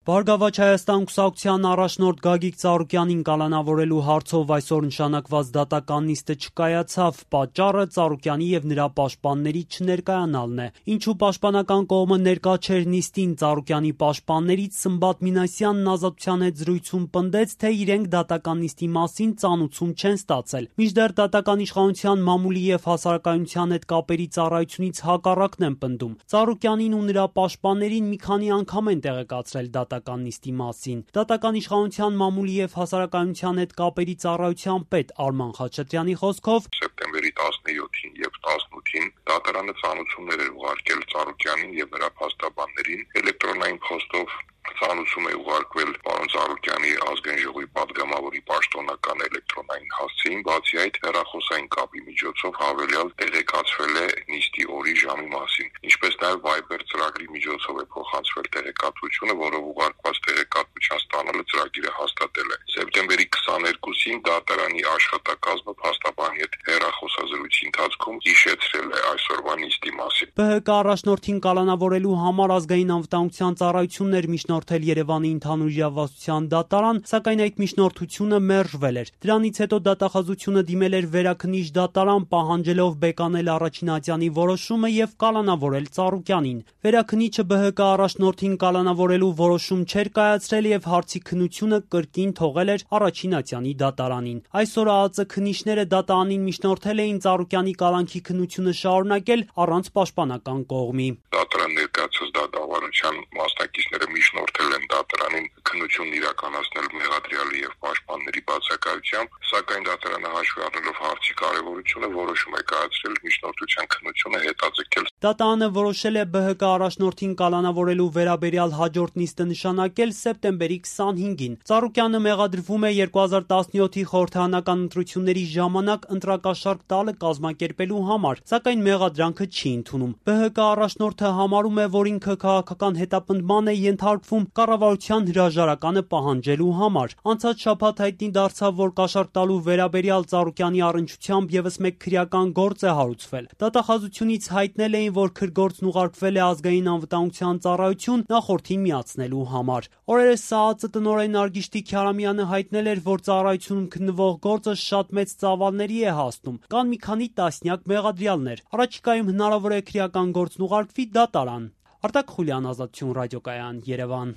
Բարգավաճ Հայաստան կուսակցության առաջնորդ Գագիկ Ծառուկյանին կալանավորելու հարցով այսօր նշանակված դատական նիստը չկայացավ, պատճառը Ծառուկյանի եւ նրա պաշտպանների չներկայանալն է։ Ինչու պաշտպանական կողմը ներկա չէր նիստին, Ծառուկյանի պաշտպաններից Սմբատ Մինասյանն Ազատության հետ զրույցում պնդեց, թե իրենք դատական նիստի մասին ծանուցում չեն ստացել։ Մինչդեռ դատական իշխանության մամուլի եւ հասարակայնության հետ կապերի ծառայությունից հակառակն են պնդում։ Ծառուկյանին ու նրա պաշտպաններին մի քանի անգամ են տեղեկացրել դատական նիստի մասին։ Դատական իշխանության մամուլի եւ հասարակայնության հետ կապերի ծառայության պետ Արման Խաչատրյանի խոսքով սեպտեմբերի 17-ին եւ 18-ին դատարանը ծանուցումներ էր ուղարկել Ծառուկյանին եւ նրա փաստաբաններին էլեկտրոնային փոստով ծանուցում է ուղարկվել պարոն Ծառուկյանի ազգային ժողովի պատգամավորի պաշտոնական էլեկտրոնային հասցեին, բացի այդ հեռախոսային կապի միջոցով հավելյալ տեղեկացվել է նիստի օրի ժամի մասին, ինչպես նաև Viber ծրագրի միջոցով է փոխանցվել տեղեկատվությունը, որով ուղարկված տեղեկատվության ստանալը ծրագիրը հաստատել է։ Սեպտեմբերի 22-ին դատարանի աշխատակազմը փաստաբանի հետ հեռախոսազրույցի ընթացքում հիշեցրել է այսօրվա նիստի մասին։ ԲՀԿ առաջնորդին կալանավորելու համար ազգային անվտանգության ծառայությունն էր միջնորդել Երևանի ընդհանուր իրավասության դատարան, սակայն այդ միջնորդությունը մերժվել էր։ Դրանից հետո դատախազությունը դիմել էր վերաքննիչ դատարան, պահանջելով բեկանել առաջին ատյանի որոշումը եւ կալանավորել Ծառուկյանին։ Վերաքննիչը ԲՀԿ առաջնորդին կալանավորելու որոշում չէր կայացրել եւ հարցի քննությունը կրկին թողել էր առաջին ատյանի դատարանին։ Այսօր ԱԱԾ քննիչները դատարանին միջնորդել էին Ծառուկյանի կալանքի քննությունը շարունակել առանց պաշտպանական կողմի։ Դատարան ներկայացած դատավարության մասնակիցները միջնորդել են դատարանին քննությունն իրականացնել մեղադրյալի եւ պաշտպանների բացակայությամբ, սակայն դատարանը հաշվի առնելով հարցի կարեւորությունը որոշում է կայացրել միջնորդության քննությունը հետաձգել։ Դատարանը որոշել է ԲՀԿ առաջնորդին կալանավորելու վերաբերյալ հաջորդ նիստը նշանակել սեպտեմբերի 25-ին։ Ծառուկյանը մեղադրվում է 2017-ի խորհրդարանական ընտրությունների ժամանակ ընտրակաշառք տալը կազմակերպելու համար, սակայն մեղադրանքը չի ընդունում։ ԲՀԿ առաջնորդը համարում է, որ ինքը քաղաքական հետապնդման է ենթարկվում կառավարության հրաժարականը պահանջելու համար։ Անցած շաբաթ հայտնի դարձավ, որ կաշառք տալու վերաբերյալ Ծառուկյանի առնչությամբ եւս մեկ քրեական գործ է հարուցվել։ Դատախազությունից հայտնել էին, որ քրգործն ուղարկվել է ազգային անվտանգության ծառայություն նախորդին միացնելու համար։ Օրերս ԱԱԾ տնօրեն Նարգիշտի Քյարամյանը հայտնել էր, որ ծառայությունում քննվող գործը շատ մեծ ծավալների է հասնում։ Կան մի քանի տասնյակ մեղադրյալներ։ Առաջիկայում հնարավոր է քրեական գործն ուղարկվի դատարան։ Արտակ Խուլյան, Ազատություն ռադիոկայան, Երևան։